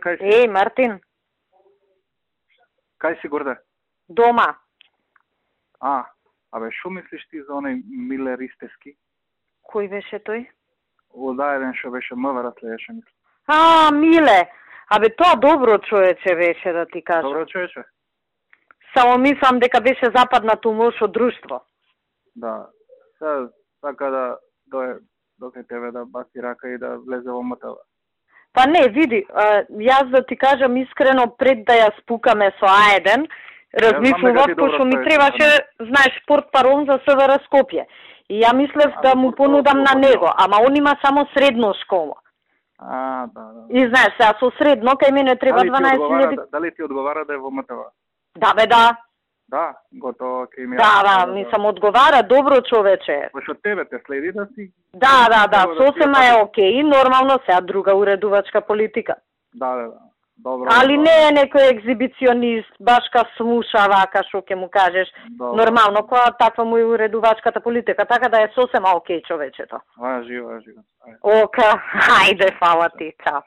кај си? Еј, Мартин. Кај си, Горде? Дома. Абе, шо мислиш ти за оној Миле Ристевски? Кој беше тој? Одаеден шо беше МВР следеше, мислам. Миле. Абе, тоа добро човече беше, да ти кажам. Добро човече? Само мислам дека беше западнато лошо друштво. Да. Сега, така да дое до тебе да баси рака и да влезе во МТВ. Па не, види, јас да ти кажам искрено, пред да ја спукаме со А1, размислував, пошто ми требаше, знаеш, портпарол за СВР Скопје. И ја мислев да му понудам на него, ама он има само средно школа. Да. И знаеш, сега со средно, кај мене треба 12.000... Дали ти одговара да е во МТВ? Да, бе, да. Да, готово, кај ми... Да, мислам, одговара, добро човече. Пошто тебе те следи да си... Да, сосема е окей, нормално сега друга уредувачка политика. Да. Добро. Али не е некој екзибиционист, башка слуша вака, шо ќе му кажеш. Добро. Нормално, која таква му е уредувачката политика, така да е сосема окей човечето. Живо. Ока, хајде, фала ти, чао.